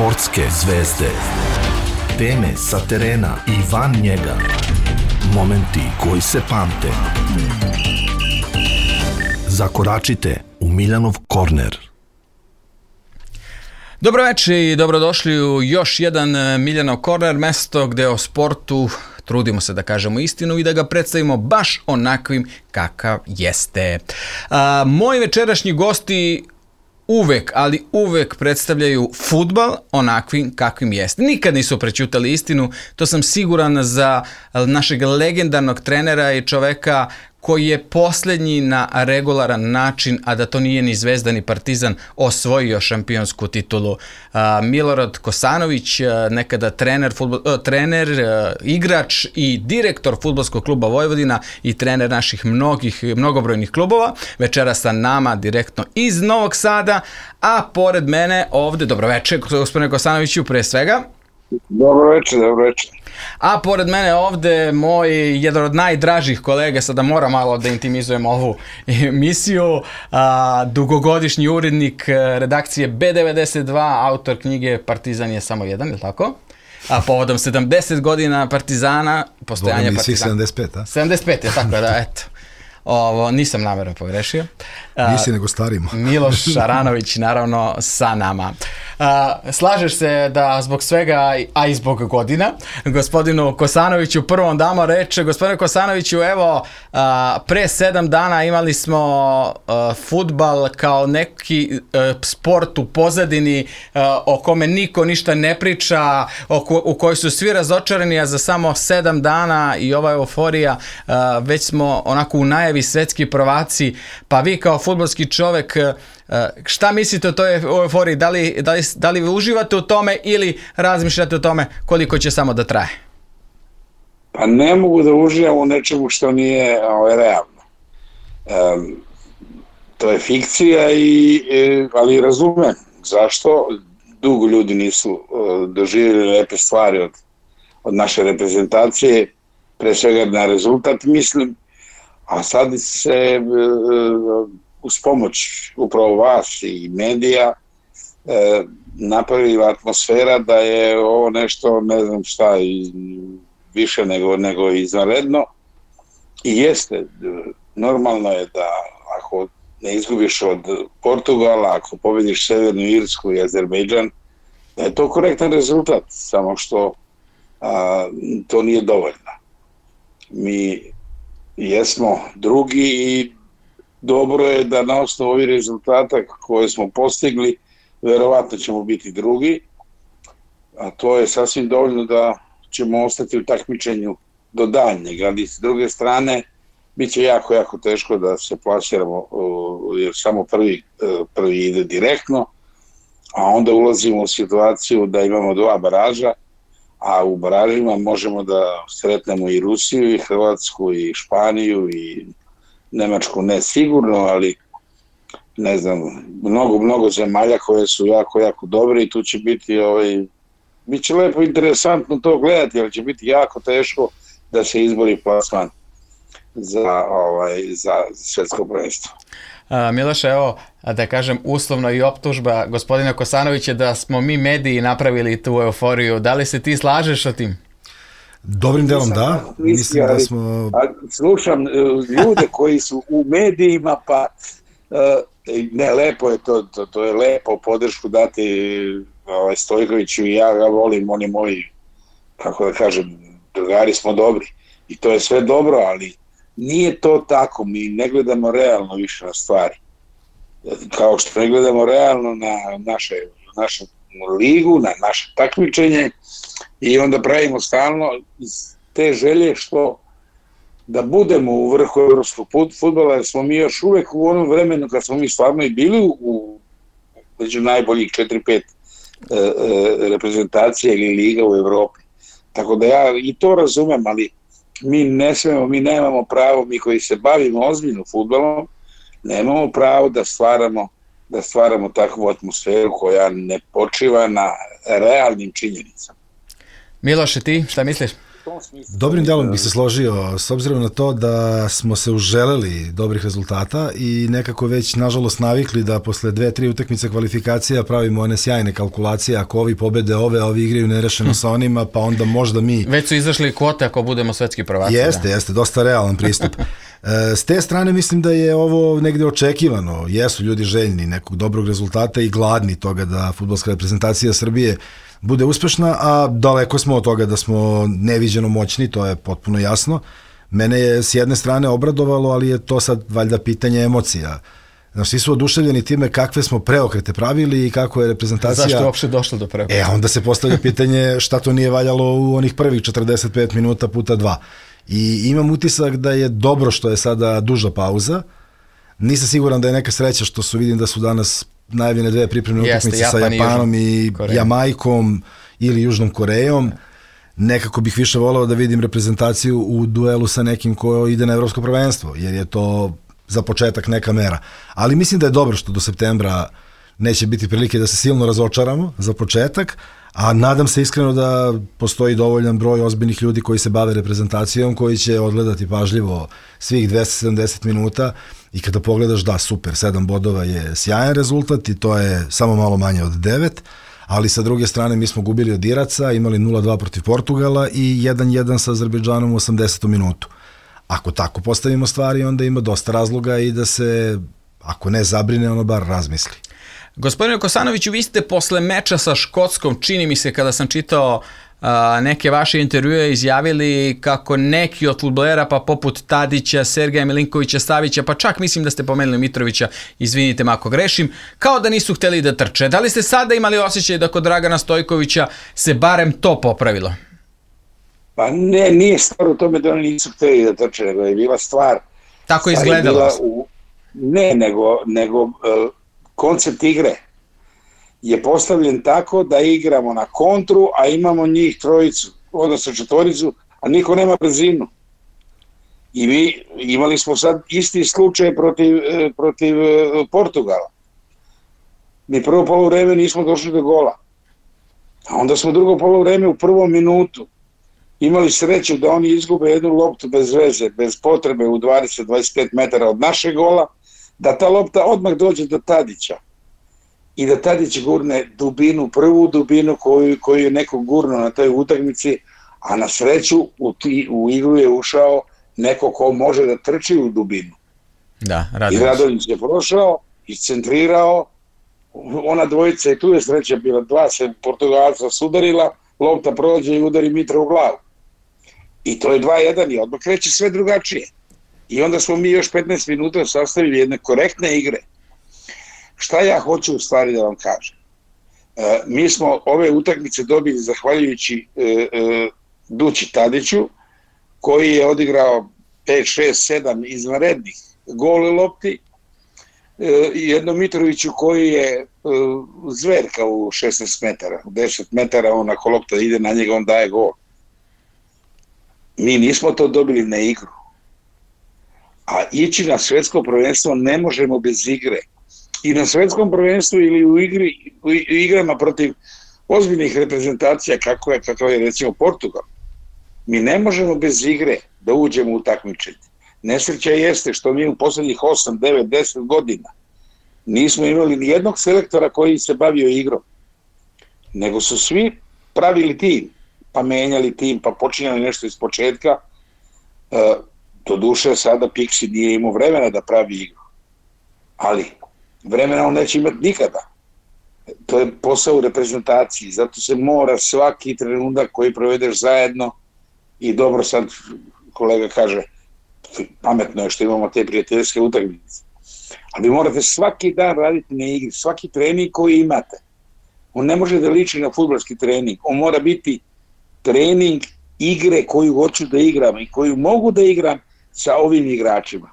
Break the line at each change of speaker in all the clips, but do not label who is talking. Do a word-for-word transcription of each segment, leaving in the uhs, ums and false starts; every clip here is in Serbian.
Sportske zvezde. Teme sa terena i van njega. Momenti koji se pamte. Zakoračite u Miljanov korner.
Dobro večer i dobrodošli u još jedan Miljanov korner, mesto gde o sportu trudimo se da kažemo istinu i da ga predstavimo baš onakvim kakav jeste. A, moji večerašnji gosti uvek, ali uvek predstavljaju fudbal onakvim kakvim jeste. Nikad nisu prećutali istinu, to sam siguran za našeg legendarnog trenera i čoveka koji je posljednji na regularan način, a da to nije ni Zvezda ni Partizan, osvojio šampionsku titulu. Milorad Kosanović, nekada trener, fudbal, trener, igrač i direktor Fudbalskog kluba Vojvodina i trener naših mnogih, mnogobrojnih klubova. Večera sa nama direktno iz Novog Sada, a pored mene ovde, dobro večer, gospodine Kosanoviću, pre svega.
Dobro večer, dobro večer.
A pored mene ovde moj jedan od najdražih kolega, sada moram malo da intimizujem ovu emisiju, a, dugogodišnji urednik redakcije B devedeset dva, autor knjige Partizan je samo jedan, je li tako? A povodom sedamdeset godina Partizana, postojanja Partizana.
sedamdeset pet, a?
sedamdeset pet, je tako da, eto. Ovo, nisam namjerno pogrešio.
Nisi nego starimo.
Miloš Šaranović naravno sa nama. A, slažeš se da zbog svega, a i zbog godina, gospodinu Kosanoviću prvom damo reč. Gospodine Kosanoviću, evo, a, pre sedam dana imali smo a, fudbal kao neki a, sport u pozadini a, o kome niko ništa ne priča, o ko, u kojoj su svi razočarani, a za samo sedam dana i ova euforija, a, već smo onako u najavi svetski prvaci, pa vi kao fudbalski čovek, šta mislite o toj euforiji? Da li, da, li, da li vi uživate u tome ili razmišljate o tome koliko će samo da traje?
Pa ne mogu da uživam u nečemu što nije ovaj, realno. Um, to je fikcija, i, ali razumem zašto. Dugo ljudi nisu uh, doživjeli lepe stvari od, od naše reprezentacije, pre svega na rezultat mislim, a sad se uh, uz pomoć upravo vas i medija e, napravila atmosfera da je ovo nešto, ne znam šta, više nego, nego izvanredno. I jeste, normalno je da ako ne izgubiš od Portugala, ako pobediš Severnu Irsku i Azerbejdžan, da je to korektan rezultat, samo što a, to nije dovoljno. Mi jesmo drugi i dobro je da na osnovu ovih rezultata koje smo postigli, verovatno ćemo biti drugi, a to je sasvim dovoljno da ćemo ostati u takmičenju do daljnjeg, ali s druge strane bit će jako, jako teško da se plasiramo, jer samo prvi, prvi ide direktno, a onda ulazimo u situaciju da imamo dva baraža, a u baražima možemo da sretnemo i Rusiju, i Hrvatsku, i Španiju, i Nemačku ne sigurno, ali ne znam, mnogo, mnogo zemalja koje su jako, jako dobre i tu će biti, ovaj, bit će lepo interesantno to gledati, ali će biti jako teško da se izbori plasman za, ovaj, za svetsko prvenstvo.
Miloše, evo, da kažem uslovno i optužba gospodina Kosanovića da smo mi mediji napravili tu euforiju. Da li se ti slažeš sa tim?
Dobrim delom da, mislim da smo...
Slušam ljude koji su u medijima, pa ne, lepo je to, to, to je lepo podršku dati ovaj, Stojkoviću i ja ga volim, oni moji, kako da kažem, drugari smo dobri i to je sve dobro, ali nije to tako, mi ne gledamo realno više na stvari. Kao što ne gledamo realno na naše, našu ligu, na naše takmičenje, i onda pravimo stalno iz te želje što da budemo u vrhu evropskog fudbala, jer smo mi još uvek u onom vremenu kad smo mi stvarno i bili u među najboljih četiri pet e, e, reprezentacija ili liga u Evropi. Tako da ja i to razumem, ali mi ne smemo, mi nemamo pravo, mi koji se bavimo ozbiljno fudbalom, nemamo pravo da stvaramo da stvaramo takvu atmosferu koja ne počiva na realnim činjenicama.
Miloše, ti šta misliš?
Dobrim delom bih se složio, s obzirom na to da smo se uželeli dobrih rezultata i nekako već, nažalost, navikli da posle dve, tri utakmice kvalifikacija pravimo one sjajne kalkulacije, ako ovi pobede ove, ovi igraju nerešeno sa onima, pa onda možda mi...
Već su izašli kvote ako budemo svetski prvaci.
Jeste, da. jeste, dosta realan pristup. S te strane mislim da je ovo negde očekivano, jesu ljudi željni nekog dobrog rezultata i gladni toga da fudbalska reprezentacija Srbije bude uspešna, a daleko smo od toga da smo neviđeno moćni, to je potpuno jasno. Mene je s jedne strane obradovalo, ali je to sad valjda pitanje emocija. Znači, svi su oduševljeni time kakve smo preokrete pravili i kako je reprezentacija...
Zašto je uopšte došlo do preokreta?
E, onda se postavlja pitanje šta to nije valjalo u onih prvih četrdeset pet minuta puta dva. I imam utisak da je dobro što je sada duža pauza. Nisam siguran da je neka sreća što su, vidim da su danas najavljene dve pripremne utakmice sa Japanom i Jamajkom ili Južnom Korejom. Nekako bih više volao da vidim reprezentaciju u duelu sa nekim ko ide na evropsko prvenstvo, jer je to za početak neka mera. Ali mislim da je dobro što do septembra neće biti prilike da se silno razočaramo za početak, a nadam se iskreno da postoji dovoljan broj ozbiljnih ljudi koji se bave reprezentacijom, koji će odgledati pažljivo svih dvesta sedamdeset minuta i kada pogledaš, da, super, sedam bodova je sjajan rezultat i to je samo malo manje od devet, ali sa druge strane mi smo gubili od Iraca, imali nula dva protiv Portugala i jedan jedan sa Azerbejdžanom u osamdesetom minutu. Ako tako postavimo stvari, onda ima dosta razloga i da se, ako ne zabrine, ono bar razmisli.
Gospodine Kosanoviću, vi ste posle meča sa Škotskom, čini mi se kada sam čitao a, neke vaše intervjue, izjavili kako neki od fudbalera, pa poput Tadića, Sergeja Milinkovića, Savića, pa čak mislim da ste pomenuli Mitrovića, izvinite me ako grešim, kao da nisu hteli da trče. Da li ste sada imali osjećaj da kod Dragana Stojkovića se barem to popravilo?
Pa ne, nije stvar u tome da oni nisu hteli da trče, nego je bila stvar...
Tako je izgledalo.
U, ne, nego... nego uh, koncept igre je postavljen tako da igramo na kontru, a imamo njih trojicu, odnosno četvoricu, a niko nema brzinu. I mi imali smo sad isti slučaj protiv, protiv Portugala. Mi prvo poluvreme nismo došli do gola. A onda smo drugo poluvreme u prvom minutu imali sreću da oni izgube jednu loptu bez veze, bez potrebe u dvadeset do dvadeset pet metara od našeg gola, da ta lopta odmah dođe do Tadića i da Tadić gurne dubinu, prvu dubinu koju, koju je neko gurno na toj utakmici, a na sreću u, ti, u igru je ušao neko ko može da trči u dubinu.
Da,
I Radonjić je prošao, iscentrirao, ona dvojica i tu je sreća bila, dva se Portugalca sudarila, lopta prođe i udari Mitra u glavu. I to je dva jedan i odmah kreće sve drugačije. I onda smo mi još petnaest minuta sastavili jedne korektne igre. Šta ja hoću u stvari da vam kažem? E, mi smo ove utakmice dobili zahvaljujući e, e, Dući Tadiću, koji je odigrao pet, šest, sedam izvanrednih gole lopti, e, i jednom Mitroviću koji je e, zverka u šesnaest metara, u deset metara, on ako lopta ide na njega, on daje gol. Mi nismo to dobili na igru. A ići na svetsko prvenstvo ne možemo bez igre. I na svetskom prvenstvu ili u, igri, u igrama protiv ozbiljnih reprezentacija, kako je, kako je recimo Portugal, mi ne možemo bez igre da uđemo u takmičenje. Nesreća jeste što mi u poslednjih osam, devet, deset godina nismo imali ni jednog selektora koji se bavio igrom, nego su svi pravili tim, pa menjali tim, pa počinjali nešto iz početka. Uh, do duše sada Pixi nije imao vremena da pravi igru, ali vremena on neće imati nikada. To je posao u reprezentaciji, zato se mora svaki trenutak koji provedeš zajedno, i dobro sad kolega kaže, pametno je što imamo te prijateljske utakmice, ali morate svaki dan raditi na igri, svaki trening koji imate. On ne može da liči na fudbalski trening, on mora biti trening igre koju hoću da igram i koju mogu da igram sa ovim igračima.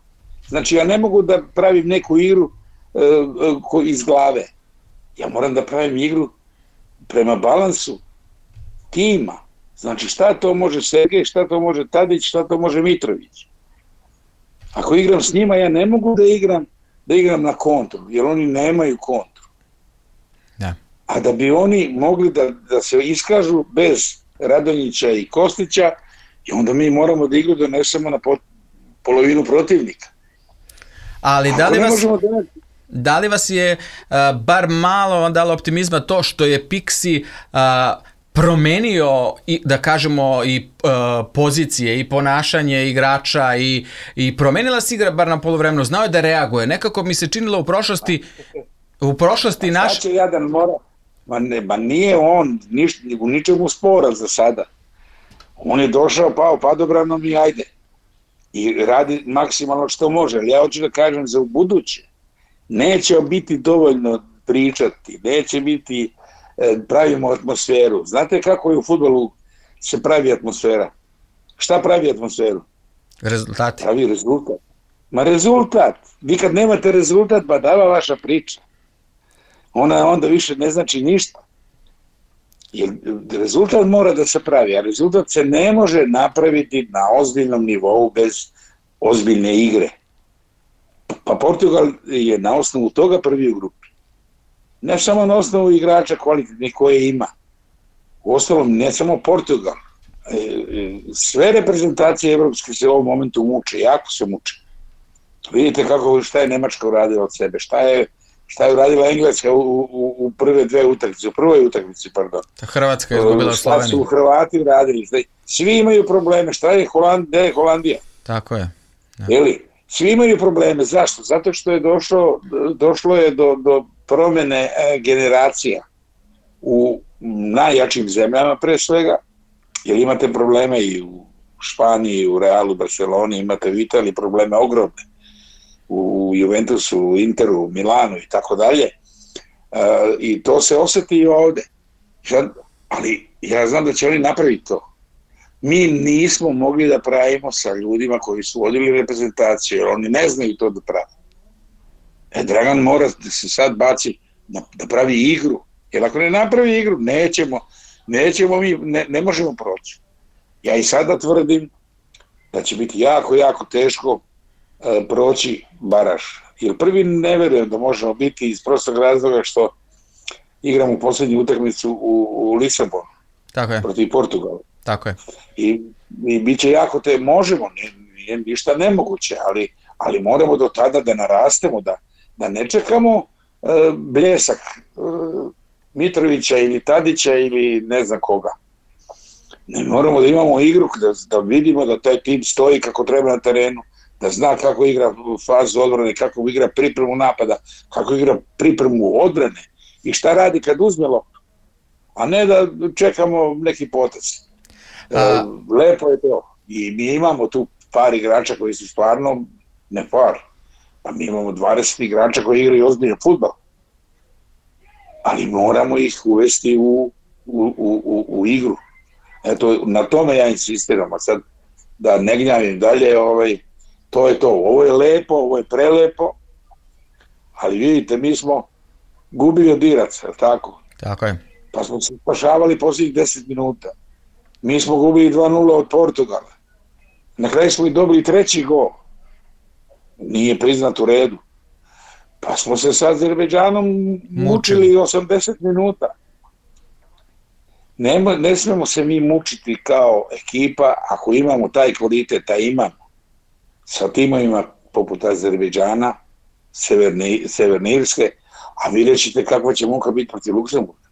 Znači ja ne mogu da pravim neku igru uh, uh, iz glave. Ja moram da pravim igru prema balansu tima. Znači šta to može Sergej, šta to može Tadić, šta to može Mitrović. Ako igram s njima, ja ne mogu da igram da igram na kontru, jer oni nemaju kontru.
Da.
A da bi oni mogli da, da se iskažu bez Radonjića i Kostića, I onda mi moramo da igru donesemo na pot, polovinu protivnika.
Ali da li, vas,
da...
da li vas je uh, bar malo dalo optimizma to što je Pixi uh, promenio, i, da kažemo, i uh, pozicije i ponašanje igrača i, i promenila se igra bar na poluvremenu, znao je da reaguje. Nekako mi se činilo u prošlosti u prošlosti naš...
Šta će Jadan mora? Ma, ne, ma nije on niš, u ničemu sporan za sada. On je došao, pao padobranom i ajde. I radi maksimalno što može. Ali ja hoću da kažem za u buduće. Neće biti dovoljno pričati, neće biti e, pravimo atmosferu. Znate kako je u fudbalu se pravi atmosfera? Šta pravi atmosferu?
Rezultati.
Pravi rezultat. Ma rezultat. Vi kad nemate rezultat, ba dava vaša priča. Ona onda više ne znači ništa. Jer rezultat mora da se pravi, a rezultat se ne može napraviti na ozbiljnom nivou bez ozbiljne igre. Pa Portugal je na osnovu toga prvi u grupi. Ne samo na osnovu igrača kvalitetnih koje ima. U ostalom, ne samo Portugal. Sve reprezentacije evropske se u ovom momentu muče, jako se muče. Vidite kako, šta je Nemačka uradila od sebe, šta je šta je uradila Engleska u, u, u prve dve utakmice, u prvoj utakmici, pardon.
Hrvatska je izgubila Sloveniju.
Šta su Hrvati uradili? Svi imaju probleme. Šta je Holandija? Je Holandija?
Tako je. Ja.
Jeli? Svi imaju probleme. Zašto? Zato što je došlo, došlo je do, do promene generacija u najjačim zemljama pre svega, jer imate probleme i u Španiji, u Realu, Barceloni, imate u Italiji probleme ogromne, u Juventusu, u Interu, Milanu i tako dalje. I to se osjeti i ovde. Ali ja znam da će oni napraviti to. Mi nismo mogli da pravimo sa ljudima koji su vodili reprezentaciju, jer oni ne znaju to da pravi. E, Dragan mora da se sad baci da, da pravi igru, jer ako ne napravi igru, nećemo, nećemo mi, ne, ne možemo proći. Ja i sada tvrdim da će biti jako, jako teško e, proći baraž. Jer prvi ne verujem da možemo biti iz prostog razloga što igramo u posljednju utakmicu u, u Lisabonu.
Tako je.
Protiv Portugala.
Tako je.
I, i bit će jako te, možemo, nije ništa nemoguće, ali, ali moramo do tada da narastemo, da, da ne čekamo e, bljesak e, Mitrovića ili Tadića ili ne znam koga. Ne moramo da imamo igru, da, da vidimo da taj tim stoji kako treba na terenu, da zna kako igra fazu odbrane, kako igra pripremu napada, kako igra pripremu odbrane i šta radi kad uzme loptu, a ne da čekamo neki potez. A... Lepo je to. I mi imamo tu par igrača koji su stvarno ne par. Pa mi imamo dvadeset igrača koji igraju ozbiljno fudbal. Ali moramo ih uvesti u, u, u, u igru. Eto, na tome ja insistiram. A sad da ne gnjavim dalje, ovaj, to je to. Ovo je lepo, ovo je prelepo. Ali vidite, mi smo gubili od Iraca, tako?
Tako je.
Pa smo se spašavali posljednjih deset minuta. Mi smo gubili dva nula od Portugala. Na kraju smo i dobili treći gol. Nije priznat u redu. Pa smo se sa Azerbejdžanom mučili osamdeset minuta. Ne, ne smemo se mi mučiti kao ekipa ako imamo taj kvalitet, a imamo. Sa timovima poput Azerbejdžana, Severne, Severne Irske, a vidjet ćete kakva će muka biti protiv Luksemburga.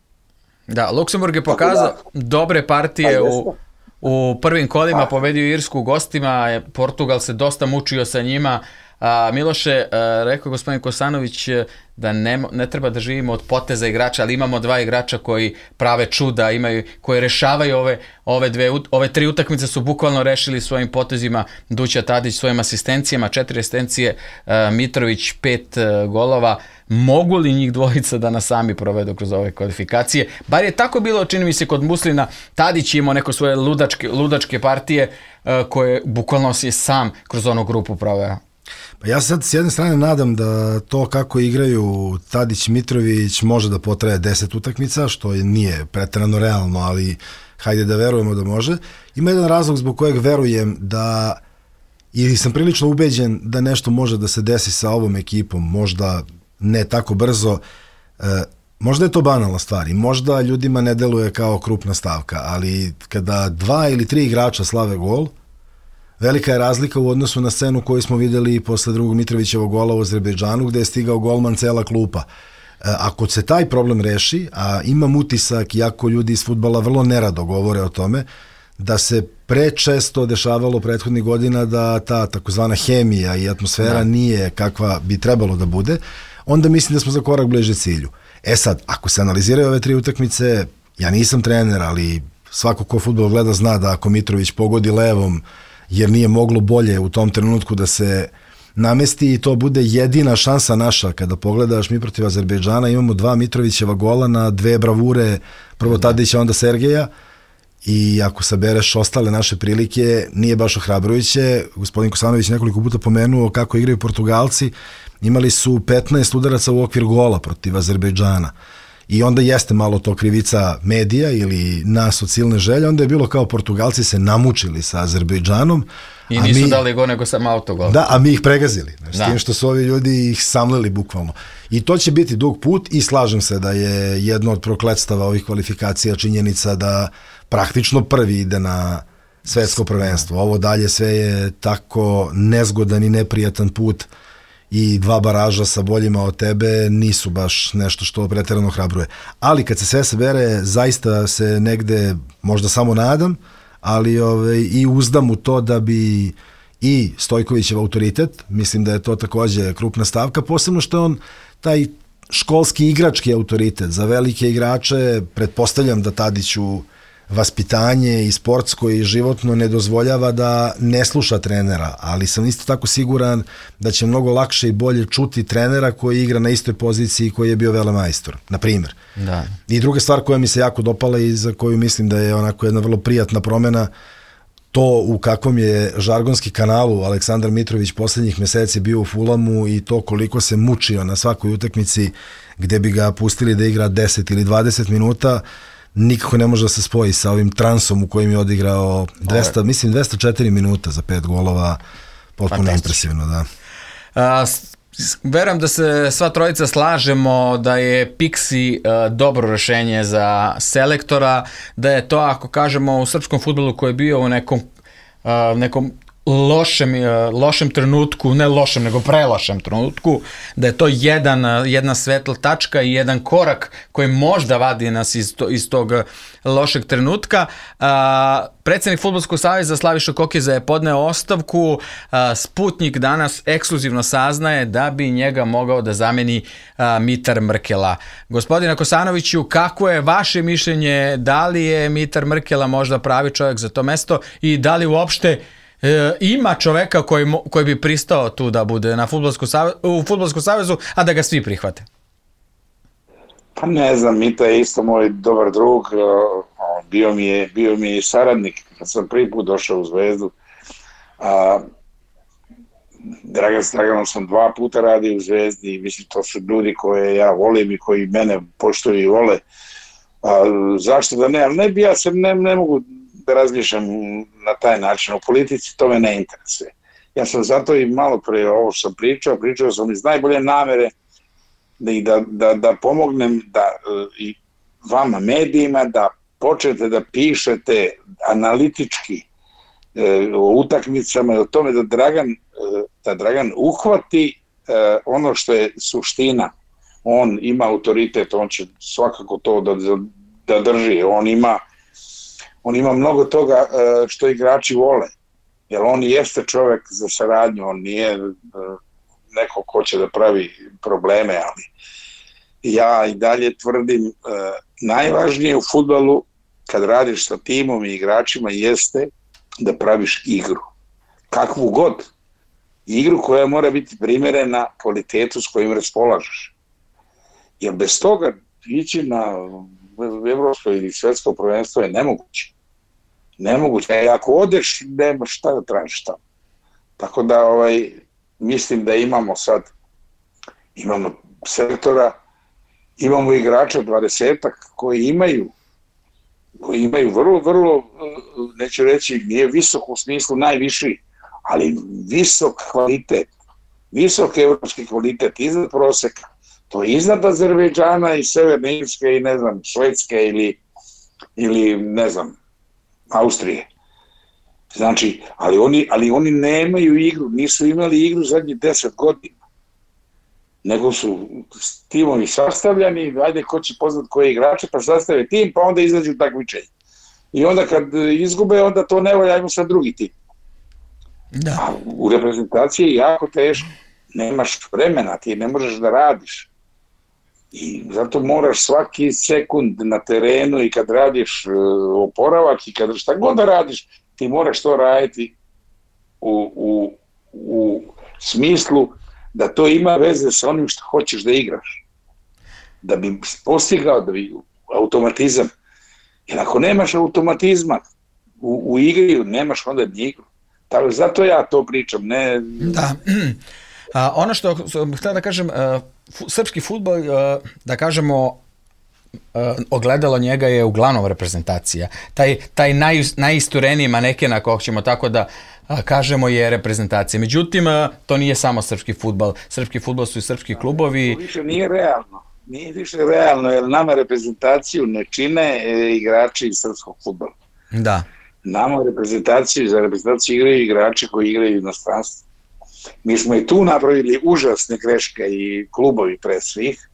Da, Luksemburg je pokazao dobre partije u, u prvim kolima, pobedio Irsku u gostima, Portugal se dosta mučio sa njima. A, Miloše, a, rekao gospodin Kosanović da ne, ne treba da živimo od poteza igrača, ali imamo dva igrača koji prave čuda, imaju, koji rešavaju ove, ove, dve, ove tri utakmice su bukvalno rešili svojim potezima. Duća Tadić svojim asistencijama, četiri asistencije, a, Mitrović pet a, golova. Mogu li njih dvojica da nas sami provedu kroz ove kvalifikacije? Bar je tako bilo, čini mi se, kod Muslina. Tadić je imao neko svoje ludačke, ludačke partije a, koje bukvalno si je sam kroz onu grupu proveo.
Pa ja sad s jedne strane nadam da to kako igraju Tadić, Mitrović može da potraje deset utakmica, što nije pretjerano realno, ali hajde da verujemo da može. Ima jedan razlog zbog kojeg verujem da, ili sam prilično ubeđen da nešto može da se desi sa ovom ekipom, možda ne tako brzo. E, Možda je to banalna stvar i možda ljudima ne deluje kao krupna stavka, ali kada dva ili tri igrača slave gol, velika je razlika u odnosu na scenu koju smo vidjeli posle drugog Mitrovićevog gola u Azerbejdžanu, gde je stigao golman cela klupa. Ako se taj problem reši, a imam utisak, iako ljudi iz fudbala vrlo nerado govore o tome, da se prečesto dešavalo prethodnih godina da ta takozvana hemija i atmosfera da. Nije kakva bi trebalo da bude, onda mislim da smo za korak bliže cilju. E sad, ako se analiziraju ove tri utakmice, ja nisam trener, ali svako ko fudbal gleda zna da ako Mitrović pogodi levom, jer nije moglo bolje u tom trenutku da se namesti i to bude jedina šansa naša. Kada pogledaš mi protiv Azerbejdžana, imamo dva Mitrovićeva gola na dve bravure, prvo Tadića, onda Sergeja, i ako sabereš ostale naše prilike, nije baš ohrabrujuće. Gospodin Kosanović nekoliko puta pomenuo kako igraju Portugalci, imali su petnaest udaraca u okvir gola protiv Azerbejdžana. I onda jeste malo to krivica medija ili nas od silne želje, onda je bilo kao Portugalci se namučili sa Azerbejdžanom.
I nisu mi, dali go nego sam autogol.
Da, a mi ih pregazili. S tim što su ovi ljudi ih samlili bukvalno. I to će biti dug put i slažem se da je jedno od prokletstava ovih kvalifikacija činjenica da praktično prvi ide na svetsko prvenstvo. Ovo dalje sve je tako nezgodan i neprijatan put i dva baraža sa boljima od tebe nisu baš nešto što preterano hrabruje. Ali kad se sve sabere, zaista se negde možda samo nadam, ali ove, i uzdam u to da bi i Stojkovićev autoritet, mislim da je to takođe krupna stavka, posebno što je on taj školski igrački autoritet za velike igrače, pretpostavljam da Tadiću vaspitanje i sportsko i životno ne dozvoljava da ne sluša trenera, ali sam isto tako siguran da će mnogo lakše i bolje čuti trenera koji igra na istoj poziciji koji je bio velemajstor, na primjer.
Da.
I druga stvar koja mi se jako dopala i za koju mislim da je onako jedna vrlo prijatna promena, to u kakvom je žargonski kanalu Aleksandar Mitrović poslednjih meseci bio u Fulamu i to koliko se mučio na svakoj utakmici gde bi ga pustili da igra deset ili dvadeset minuta, nikako ne može da se spoji sa ovim transom u kojim je odigrao dvesta, Ove. mislim dvesta četiri minuta za pet golova, potpuno impresivno, da.
A, verujem da se sva trojica slažemo da je Pixi a, dobro rešenje za selektora, da je to, ako kažemo u srpskom fudbalu koji je bio u nekom, a, nekom lošem, lošem trenutku, ne lošem, nego prelošem trenutku, da je to jedan, jedna svetla tačka i jedan korak koji možda vadi nas iz, to, iz tog lošeg trenutka. A, predsednik Fudbalskog saveza Slaviša Kokeza je podneo ostavku. A, Sputnik danas ekskluzivno saznaje da bi njega mogao da zameni a, Mitar Mrkela. Gospodine Kosanoviću, kako je vaše mišljenje, da li je Mitar Mrkela možda pravi čovjek za to mesto i da li uopšte E, ima čoveka koji, koji bi pristao tu da bude na fudbalskom savezu, u Fudbalskom savezu, a da ga svi prihvate?
Pa ne znam, Mita je isto moj dobar drug, bio mi je, bio mi je saradnik kad sam prvi put došao u Zvezdu. A, Dragan s Draganom sam dva puta radio u Zvezdi i mislim to su ljudi koje ja volim i koji mene poštuju i vole. A, zašto da ne, ali ne bi ja se, ne, ne mogu da razmišljam na taj način. U politici to me ne interesuje. Ja sam zato i malo pre ovo što sam pričao, pričao sam iz najbolje namere da, da, da, da pomognem da, i vama medijima da počnete da pišete analitički e, o utakmicama i o tome da Dragan, e, da Dragan uhvati e, ono što je suština. On ima autoritet, on će svakako to da, da drži. On ima On ima mnogo toga što igrači vole, jer on jeste čovjek za saradnju, on nije neko ko će da pravi probleme, ali ja i dalje tvrdim najvažnije u fudbalu kad radiš sa timom i igračima jeste da praviš igru. Kakvu god. Igru koja mora biti primjerena kvalitetu s kojim raspolažeš. Jer bez toga ići na evropsko ili svetsko prvenstvo je nemoguće. Nemoguće. E, ako odeš, nema šta da tražiš tamo. Tako da ovaj, mislim da imamo sad, imamo selektora, imamo igrača dvadesetak koji imaju, koji imaju vrlo, vrlo, neću reći, nije visok u smislu najviši, ali visok kvalitet, visok evropski kvalitet iznad proseka, To je iznad Azerbejdžana i Severne Irske i ne znam, Švedske ili, ili ne znam, Austrije. Znači, ali oni, ali oni nemaju igru, nisu imali igru zadnjih deset godina. Nego su timovi sastavljani, ajde ko će poznat koje igrače, pa sastave tim, pa onda izađu takmičenje. I onda kad izgube, onda to ne volja, ajmo sad drugi tim.
Da.
A u reprezentaciji je jako teško. Nemaš vremena, ti ne možeš da radiš. I zato moraš svaki sekund na terenu i kad radiš uh, oporavak i kad šta god da radiš, ti moraš to raditi u, u, u smislu da to ima veze sa onim što hoćeš da igraš. Da bi postigao da bi automatizam. Jer ako nemaš automatizma u, u igri, nemaš onda ni igru. Tako, zato ja to pričam. Ne...
Da. A, ono što sam htio da kažem, uh, fu, srpski fudbal, uh, da kažemo, uh, ogledalo njega je uglavnom reprezentacija. Taj, taj naj, najistureniji maneken, ako ćemo tako da uh, kažemo, je reprezentacija. Međutim, uh, to nije samo srpski fudbal. Srpski fudbal su i srpski klubovi.
To više nije realno. Nije više realno, jer nama reprezentaciju ne čine e, igrači iz srpskog fudbala.
Da.
Nama reprezentaciju, za reprezentaciju igraju igrači koji igraju u inostranstvu. Mi smo i tu napravili užasne greške i klubovi pre svih,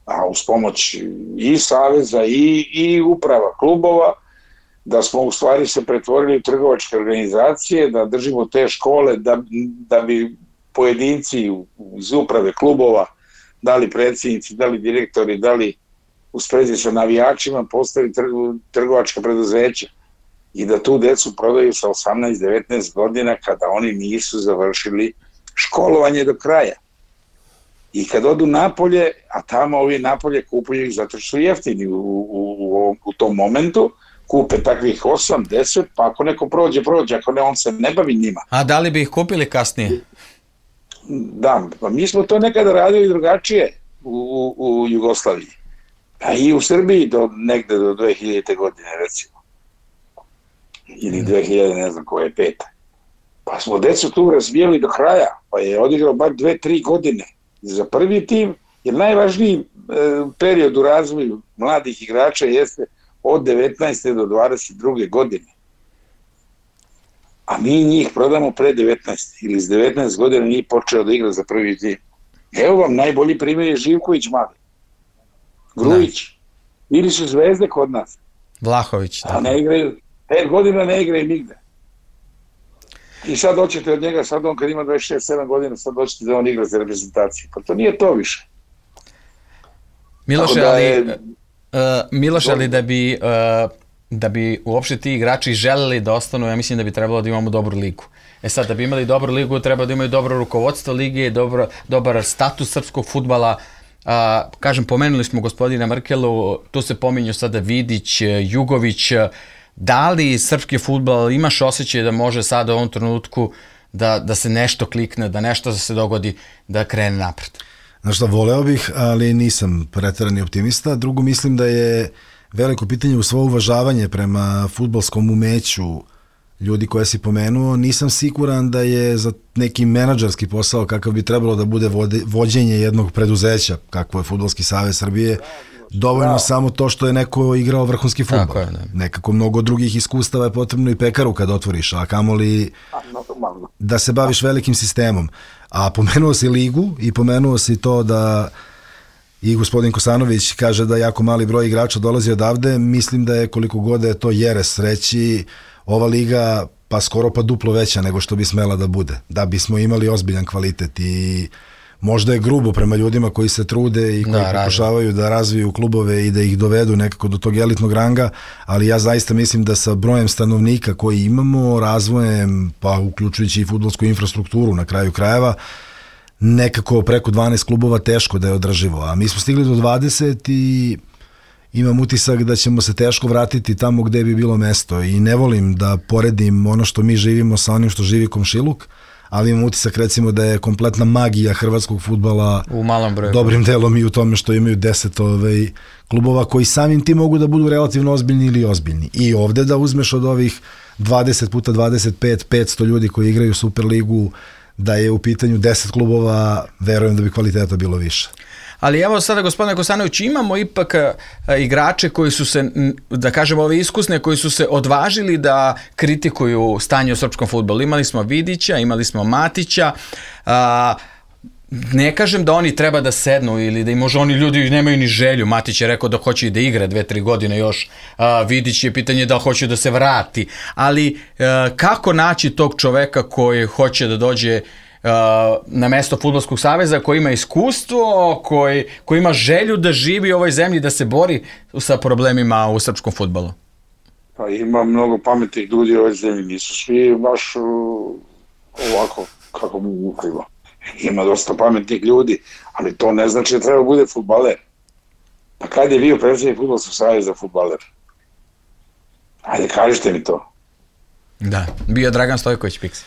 a uz pomoć i saveza i, i uprava klubova, da smo u stvari se pretvorili u trgovačke organizacije, da držimo te škole, da, da bi pojedinci iz uprave klubova, da li predsjednici, da li direktori, da li u sprezi sa navijačima postali trgovačka preduzeća i da tu decu prodaju sa osamnaest devetnaest godina kada oni nisu završili školovanje do kraja. I kad odu napolje, a tamo ovi napolje kupuju ih zato što su jeftini u, u, u, u tom momentu, kupe takvih osam deset, pa ako neko prođe, prođe, ako ne, on se ne bavi njima.
A da li bi ih kupili kasnije?
Da, pa mi smo to nekada radili drugačije u, u, u Jugoslaviji. A i u Srbiji do, negde do dve hiljadite godine, recimo. Ili dve hiljade, ne znam koje, peta. Pa smo decu tu razvijeli do kraja, pa je odigrao bar dve, tri godine za prvi tim, jer najvažniji e, period u razvoju mladih igrača jeste od devetnaeste do dvadeset druge godine. A mi njih prodamo pre devetnaest ili s devetnaest godina nije počeo da igra za prvi tim. Evo vam, najbolji primjer je Živković mali. Grujić. Da. Ili su zvezde kod nas.
Vlahović.
A ne igraju, pet godina ne igraju nigde. I sad hoćete od njega, sad on kad ima dvadeset šest sedam godina, sad hoćete da on igra za reprezentaciju. Pa to nije to više.
Miloše, ali, je... uh, Miloše, ali da bi... Uh, da bi uopšte ti igrači želeli da ostanu, ja mislim da bi trebalo da imamo dobru ligu. E sad, da bi imali dobru ligu, treba da imaju dobro rukovodstvo lige, dobro, dobar status srpskog fudbala. A, kažem, pomenuli smo gospodina Mrkelu, tu se pominju sada Vidić, Jugović. Da li srpski fudbal, imaš osjećaj da može sada u ovom trenutku da, da se nešto klikne, da nešto da se dogodi, da krene napred?
Znaš šta, voleo bih, ali nisam preterani optimista. Drugo, mislim da je veliko pitanje u svo uvažavanje prema fudbalskom umeću ljudi koje si pomenuo. Nisam siguran da je za neki menadžerski posao kakav bi trebalo da bude vođenje jednog preduzeća, kakvo je Fudbalski savez Srbije, dovoljno da. Samo to što je neko igrao vrhunski fudbal. Je, nekako mnogo drugih iskustava je potrebno i pekaru kad otvoriš, a kamoli da se baviš velikim sistemom. A pomenuo si ligu i pomenuo si to da i gospodin Kosanović kaže da jako mali broj igrača dolazi odavde. Mislim da je, koliko god da je to jeres reći, ova liga pa skoro pa duplo veća nego što bi smela da bude, da bismo imali ozbiljan kvalitet. I možda je grubo prema ljudima koji se trude i koji da, pokušavaju da razviju klubove i da ih dovedu nekako do tog elitnog ranga, ali ja zaista mislim da sa brojem stanovnika koji imamo, razvojem, pa uključujući i fudbalsku infrastrukturu na kraju krajeva, nekako preko dvanaest klubova teško da je održivo, a mi smo stigli do dvadeset i imam utisak da ćemo se teško vratiti tamo gde bi bilo mesto i ne volim da poredim ono što mi živimo sa onim što živi komšiluk, ali imam utisak recimo da je kompletna magija hrvatskog fudbala
u malom broju
dobrim delom i u tome što imaju deset ovaj, klubova koji samim ti mogu da budu relativno ozbiljni ili ozbiljni. I ovde da uzmeš od ovih dvadeset puta dvadeset pet, petsto ljudi koji igraju Superligu, da je u pitanju deset klubova, verujem da bi kvaliteta bilo više.
Ali evo sada, gospodine Kosanović, imamo ipak a, igrače koji su se, da kažemo ove iskusne, koji su se odvažili da kritikuju stanje u srpskom fudbalu. Imali smo Vidića, imali smo Matića, a, ne kažem da oni treba da sednu ili da i možda oni ljudi nemaju ni želju. Matić je rekao da hoće i da igra dve, tri godine još. A, Vidić je pitanje da hoće da se vrati. Ali a, kako naći tog čoveka koji hoće da dođe a, na mesto Fudbalskog saveza, koji ima iskustvo, koji, koji ima želju da živi u ovoj zemlji, da se bori sa problemima u srpskom fudbalu?
Pa ima mnogo pametnih ljudi u ovoj zemlji. Nisu svi baš uh, ovako kako mu ukrivo. Ima dosta pametnih ljudi, ali to ne znači da treba bude fudbaler. Pa kad je bio predsjednik Fudbalskog saveza fudbaler? Ajde, kažite mi to.
Da, bio Dragan Stojković Piksi.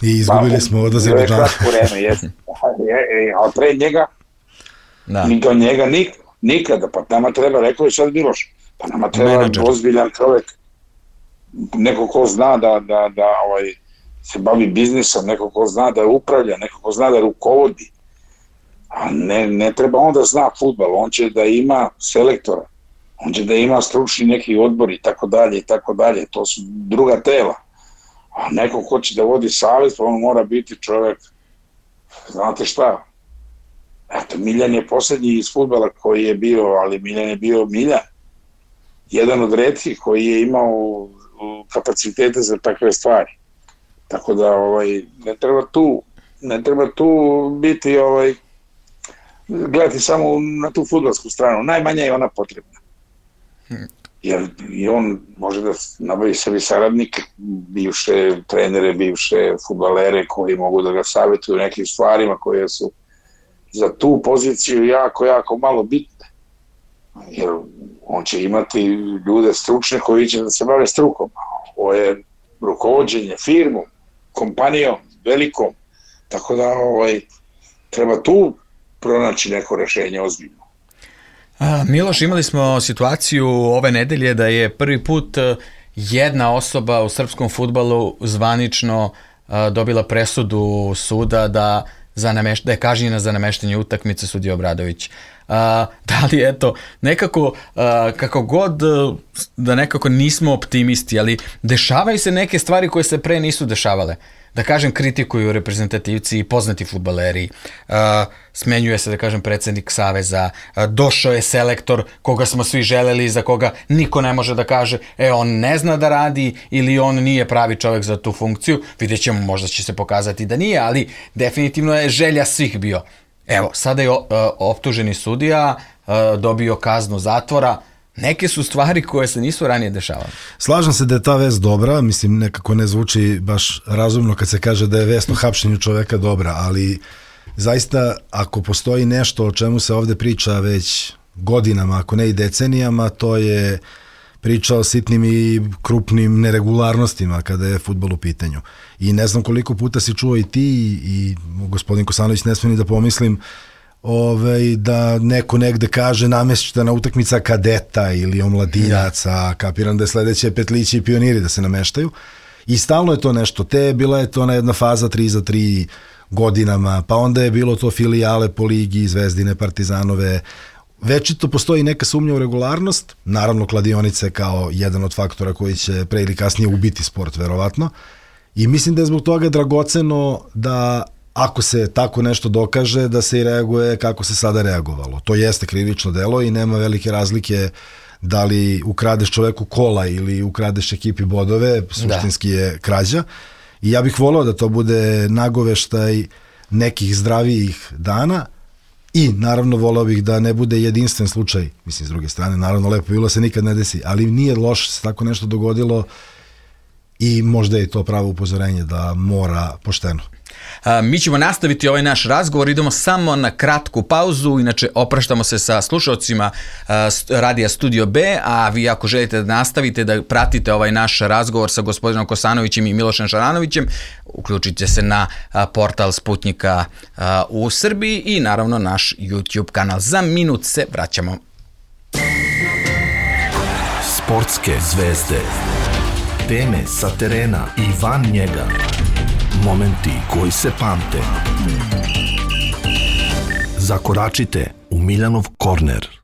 I izgubili pa, smo odlaze do dana.
A pre njega,
da.
ni do njega nik, nikada, pa nama treba, rekao je sad Miloš, pa nama treba menadžer, ozbiljan čovjek, neko ko zna da, da, da ovaj, se bavi biznisom, neko ko zna da upravlja, neko ko zna da rukovodi. A ne, ne treba on da zna fudbal, on će da ima selektora, on će da ima stručni neki odbor i tako dalje i tako dalje, to su druga tela. A neko ko će da vodi savez, pa on mora biti čovjek, znate šta, eto, Miljan je posljednji iz fudbala koji je bio, ali Miljan je bio Miljan, jedan od retkih koji je imao kapacitete za takve stvari. Tako da ovaj, ne treba tu, ne treba tu biti, ovaj, gledati samo na tu fudbalsku stranu, najmanje je ona potrebna. Jer i on može da nabavi sebi saradnike, bivše trenere, bivše fudbalere koji mogu da ga savjetuju nekim stvarima koje su za tu poziciju jako, jako malo bitne. Jer on će imati ljude stručne koji će da se bave strukom. Ovo je rukovođenje firmom, kompanijom, velikom. Tako da ovaj, treba tu pronaći neko rešenje ozbiljno.
A, Miloš, imali smo situaciju ove nedelje da je prvi put jedna osoba u srpskom fudbalu zvanično a, dobila presudu suda da, za nameš, da je kažnjena za nameštanje utakmice, sudija Obradović. A, da li eto, nekako, a, kako god da nekako nismo optimisti, ali dešavaju se neke stvari koje se pre nisu dešavale. Da kažem, kritikuju reprezentativci i poznati fudbaleri, uh, smenjuje se, da kažem, predsjednik saveza, uh, došao je selektor koga smo svi želeli, za koga niko ne može da kaže, e, on ne zna da radi ili on nije pravi čovjek za tu funkciju. Vidjet ćemo, možda će se pokazati da nije, ali definitivno je želja svih bio. Evo, sada je uh, optuženi sudija uh, dobio kaznu zatvora. Neke su stvari koje se nisu ranije dešavale.
Slažem se da je ta vest dobra, mislim nekako ne zvuči baš razumno kad se kaže da je vest o hapšenju čoveka dobra, ali zaista ako postoji nešto o čemu se ovde priča već godinama, ako ne i decenijama, to je priča o sitnim i krupnim neregularnostima kada je fudbal u pitanju. I ne znam koliko puta si čuo i ti i, i gospodin Kosanović, ne smije ni da pomislim Ove, da neko negde kaže namještena utakmica kadeta ili omladinaca, ja. Kapiram da je sledeće petlići i pioniri da se nameštaju i stalno je to nešto, te bila je to ona jedna faza tri za tri godinama, pa onda je bilo to filijale po ligi, Zvezdine, Partizanove, večito postoji neka sumnja u regularnost, naravno kladionice kao jedan od faktora koji će pre ili kasnije ubiti sport verovatno i mislim da je zbog toga dragoceno da ako se tako nešto dokaže, da se i reaguje kako se sada reagovalo. To jeste krivično delo i nema velike razlike da li ukradeš čoveku kola ili ukradeš ekipi bodove, suštinski je krađa. I ja bih voleo da to bude nagoveštaj nekih zdravijih dana i naravno voleo bih da ne bude jedinstven slučaj, mislim s druge strane, naravno lepo bilo se nikad ne desi, ali nije loše se tako nešto dogodilo i možda je to pravo upozorenje da mora pošteno.
A, mi ćemo nastaviti ovaj naš razgovor, idemo samo na kratku pauzu, inače opraštamo se sa slušalcima a, Radija Studio B, a vi ako želite da nastavite da pratite ovaj naš razgovor sa gospodinom Kosanovićem i Milošem Šaranovićem, uključite se na a, portal Sputnika a, u Srbiji i naravno naš YouTube kanal. Za minut se vraćamo.
Sportske zvezde, teme sa terena i van njega. Momenti koji se pamte. Zakoračite u Miljanov korner.